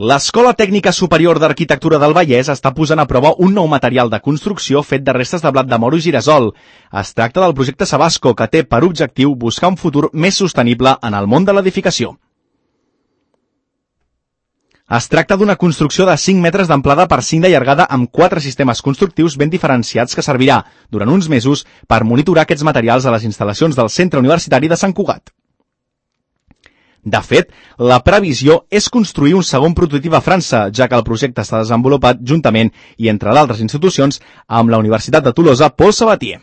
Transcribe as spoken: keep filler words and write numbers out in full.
L'Escola Tècnica Superior d'Arquitectura del Vallès està posant a prova un nou material de construcció fet de restes de blat de moro i girasol. Es tracta del projecte Sabasco, que té per objectiu buscar un futur més sostenible en el món de l'edificació. Es tracta d'una construcció de cinc metres d'amplada per cinc de llargada amb quatre sistemes constructius ben diferenciats que servirà, durant uns mesos, per monitorar aquests materials a les instal·lacions del Centre Universitari de Sant Cugat. De fet, la previsió és construir un segon prototip a França, ja que el projecte està desenvolupat juntament i entre d'altres institucions amb la Universitat de Tolosa Paul Sabatier.